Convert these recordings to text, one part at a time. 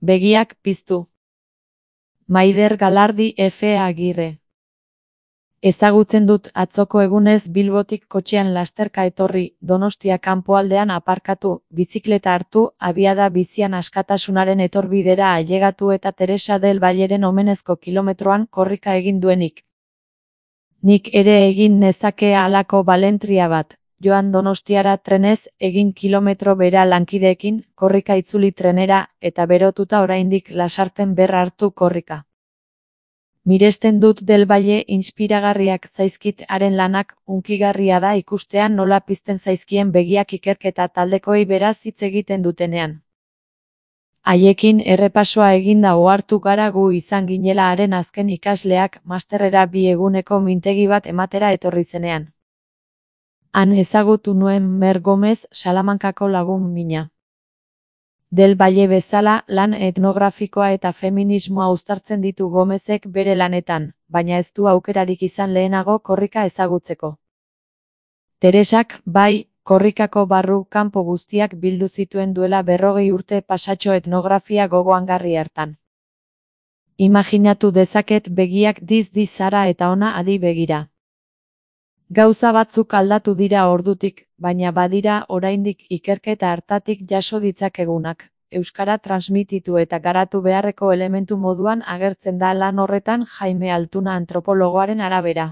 Begiak piztu. Maider Galardi F. Agirre. Ezagutzen dut atzoko egunez Bilbotik kotxean lasterka etorri, Donostia kanpoaldean aparkatu, bizikleta hartu, abiada bizian askatasunaren etorbidera ailegatu eta Teresa del Valleren omenezko kilometroan korrika egin duenik. Nik ere egin nezake halako balentria bat, joan Donostiara trenez, egin kilometro bera lankideekin, korrika itzuli trenera, eta berotuta oraindik Lasarten berra hartu korrika. Miresten dut Del Valle inspiragarriak zaizkit haren lanak, hunkigarria da ikustean nola pizten zaizkien begiak ikerketa taldekoei beraz hitz egiten dutenean. Haiekin errepasoa eginda ohartu gara gu izan ginela haren azken ikasleak masterrera 2 eguneko mintegi bat ematera etorri zenean. Han ezagutu nuen Mer Gomez, Salamankako lagun mina. Del Valle bezala, lan etnografikoa eta feminismoa uztartzen ditu Gomezek bere lanetan, baina ez du aukerarik izan lehenago korrika ezagutzeko. Teresak, bai, korrikako barru kanpo guztiak bildu zituen duela 40 urte pasatxo etnografia gogoangarri hartan. Imaginatu dezaket begiak diz zara eta ona adi begira. Gauza batzuk aldatu dira ordutik, baina badira oraindik ikerketa hartatik jaso ditzakegunak. Euskara transmititu eta garatu beharreko elementu moduan agertzen da lan horretan Jaime Altuna antropologoaren arabera.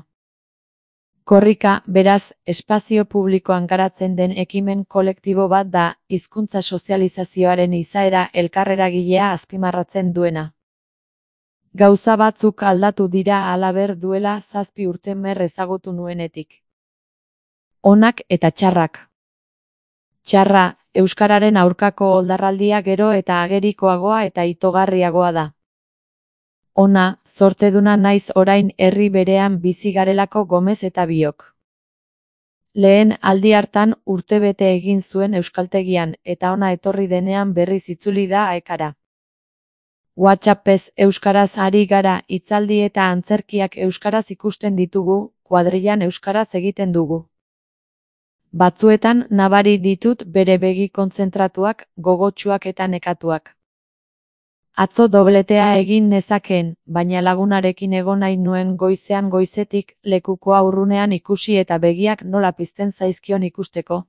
Korrika, beraz, espazio publikoan garatzen den ekimen kolektibo bat da, hizkuntza sozializazioaren izaera elkarreragilea azpimarratzen duena. Gauza batzuk aldatu dira halaber duela 7 urte Mer ezagutu nuenetik. Onak eta txarrak. Txarra, euskararen aurkako oldarraldia gero eta agerikoagoa eta itogarriagoa da. Ona, zorteduna naiz orain herri berean bizi garelako Gomez eta biok. Lehen aldi hartan urtebete egin zuen euskaltegian eta ona etorri denean berriz itzuli da Aekara. WhatsAppez euskaraz ari gara, hitzaldi eta antzerkiak euskaraz ikusten ditugu, kuadrillan euskaraz egiten dugu. Batzuetan nabari ditut bere begi kontzentratuak, gogotsuak eta nekatuak. Atzo dobletea egin nezakeen, baina lagunarekin egon nahi nuen goizean goizetik, lekukoa urrunean ikusi eta begiak nola pizten zaizkion ikusteko.